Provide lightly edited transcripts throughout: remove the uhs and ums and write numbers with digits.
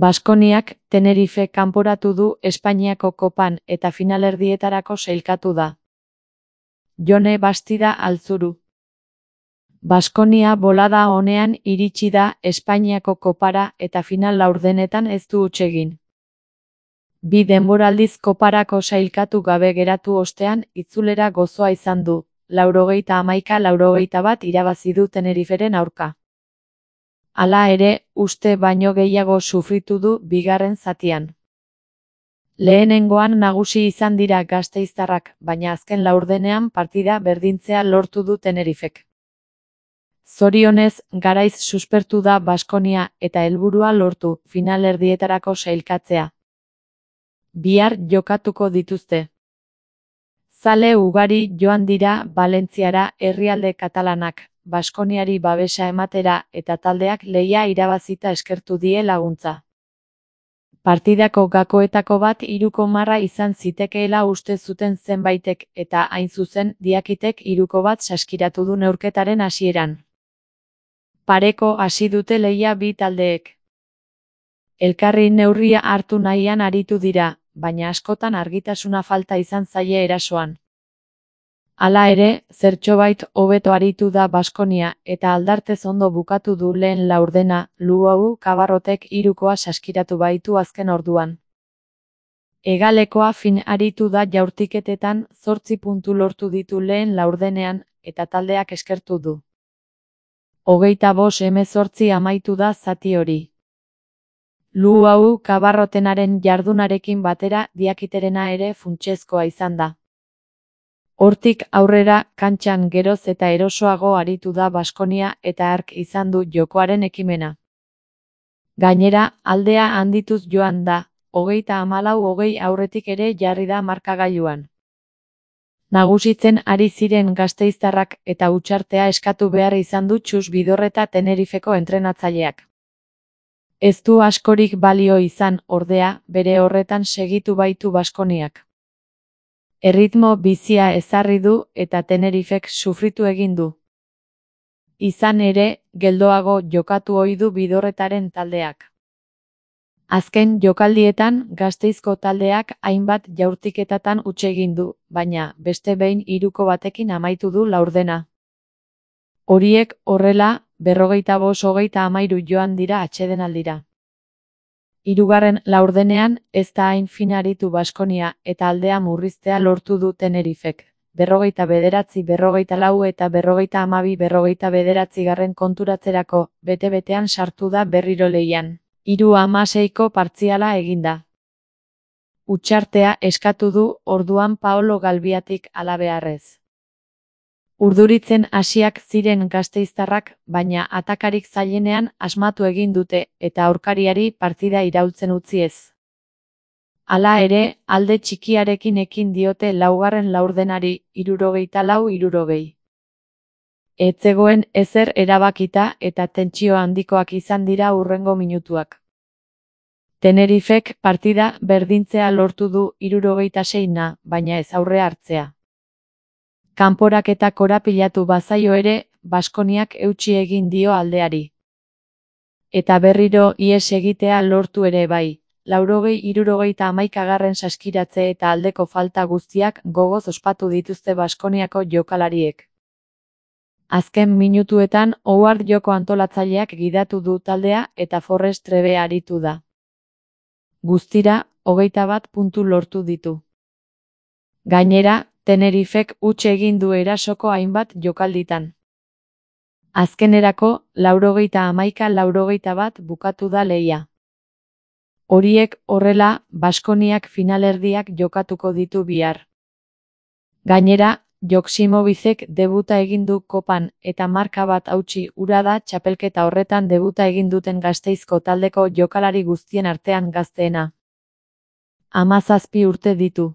Baskoniak Tenerife kanporatu du Espainiako kopan eta finalerdietarako sailkatu da. Jone Bastida Altzuru. Baskonia bolada onean iritsi da Espainiako kopara eta final laurdenetan ez du huts egin. Bi denboraldiz koparako sailkatu gabe geratu ostean itzulera gozoa izan du, 91-91 irabazi du Teneriferen aurka. Hala ere, uste baino gehiago sufritu du bigarren zatian. Lehenengoan nagusi izan dira gasteiztarrak, baina azken laurdenean partida berdintzea lortu du Tenerifek. Zorionez, garaiz suspertu da Baskonia eta helburua lortu, finalerdietarako sailkatzea. Bihar jokatuko dituzte. Zale ugari joan dira Valentziara herrialde katalanak, Baskoniari babesa ematera eta taldeak lehia irabazita eskertu die laguntza. Partidako gakoetako bat 3-0 izan zitekeela uste zuten zenbaitek eta hain zuzen Diakitek 3-1 saskiratu du neurketaren hasieran. Pareko hasi dute lehia bi taldeek. Elkarri neurria hartu nahian aritu dira, baina askotan argitasuna falta izan zaie erasoan. Hala ere, zertxobait hobeto aritu da Baskonia eta aldartez ondo bukatu du lehen laurdena, Luau Kabarrotek 3-0 saskiratu baitu azken orduan. Hegalekoa fin aritu da jaurtiketetan 8 puntu lortu ditu lehen laurdenean eta taldeak eskertu du. 25-18 amaitu da zati hori. Luau Kabarrotenaren jardunarekin batera Diakiterena ere funtsezkoa izan da. Hortik aurrera, kantxan geroz eta erosoago aritu da Baskonia eta hark izan du jokoaren ekimena. Gainera, aldea handituz joan da, 34-20 aurretik ere jarri da markagailuan. Nagusitzen ari ziren gasteiztarrak eta hutsartea eskatu behar izan du Txus Bidorreta Tenerifeko entrenatzaileak. Ez du askorik balio izan, ordea, bere horretan segitu baitu Baskoniak. Erritmo bizia ezarri du eta Tenerifek sufritu egin du. Izan ere, geldoago jokatu ohi du Bidorretaren taldeak. Azken jokaldietan Gasteizko taldeak hainbat jaurtiketatan huts egin du, baina beste behin 3-1 amaitu du laurdena. Horiek horrela, 45-33 joan dira atsedenaldira. Hirugarren laurdenean ez da hain fin aritu Baskonia eta aldea murriztea lortu du Tenerifek. 49-44 eta 50-12 konturatzerako bete-betean sartu da berriro lehian. 3-6 partziala eginda. Hutsartea eskatu du orduan Paolo Galbiatik halabeharrez. Urduritzen hasiak ziren gasteiztarrak, baina atakarik zailenean asmatu egin dute eta aurkariari partida iraultzen utzi ez. Hala ere, alde txikiarekin ekin diote laugarren laurdenari 64-60. Ez zegoen ezer erabakita eta tentsio handikoak izan dira hurrengo minutuak. Tenerifek partida berdintzea lortu du 76, baina ez aurre hartzea. Kanporaketa korapilatu bazaio ere, Baskoniak eutsi egin dio aldeari. Eta berriro ihes egitea lortu ere bai, 80-71 saskiratze eta aldeko falta guztiak gogoz ospatu dituzte Baskoniako jokalariek. Azken minutuetan Howard joko antolatzaileak gidatu du taldea eta Forrest Trebe aritu da. Guztira, 21 puntu lortu ditu. Gainera, Tenerifek huts egin du erasoko hainbat jokalditan. Azkenerako, 91-81 bukatu da lehia. Horiek horrela, Baskoniak finalerdiak jokatuko ditu bihar. Gainera, Joksimovicek debuta egin du kopan eta marka bat hautsi hura da txapelketa horretan debuta egin duten Gasteizko taldeko jokalari guztien artean gazteena. 17 urte ditu.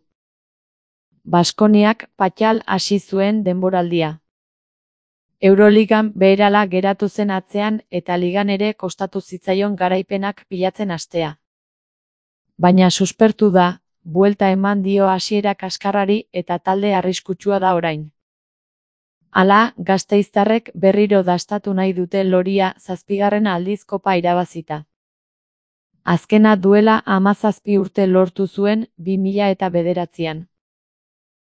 Baskoniak patxal hasi zuen denboraldia. Euroligan beherala geratu zen atzean eta ligan ere kostatu zitzaion garaipenak pilatzen hastea. Baina suspertu da, buelta eman dio hasiera kaskarrari eta talde arriskutsua da orain. Hala, gasteiztarrek berriro dastatu nahi dute loria 7. aldiz kopa irabazita. Azkena duela 17 urte lortu zuen 2009an.